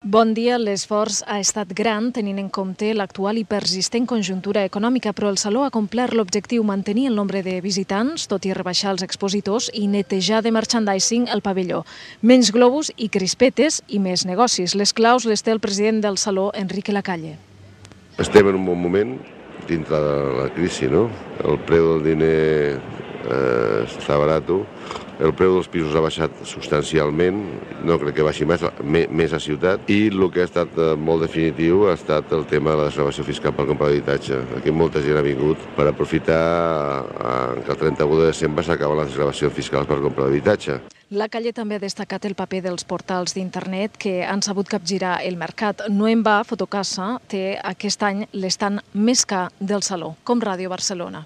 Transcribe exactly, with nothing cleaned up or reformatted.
Bon dia. L'esforç ha estat gran tenint en compte l'actual i persistent conjuntura econòmica, però el Saló ha complert l'objectiu mantenir el nombre de visitants, tot i rebaixar els expositors i netejar de merchandising el pavelló. Menys globus i crispetes i més negocis. Les claus les té el president del Saló, Enrique Lacalle. Estem en un bon moment dintre de la crisi, no? El preu del diner eh, està barat, el preu dels pisos ha baixat substancialment, no crec que baixi més, més a ciutat, i el que ha estat molt definitiu ha estat el tema de la desgravació fiscal per comprar d'habitatge. Aquí molta gent ha vingut per aprofitar que el trenta-u de desembre s'acaben les desgravacions fiscals per comprar d'habitatge. Lacalle també ha destacat el paper dels portals d'internet que han sabut capgirar el mercat. No en va, Fotocasa té aquest any l'estand més car del Saló, com Ràdio Barcelona.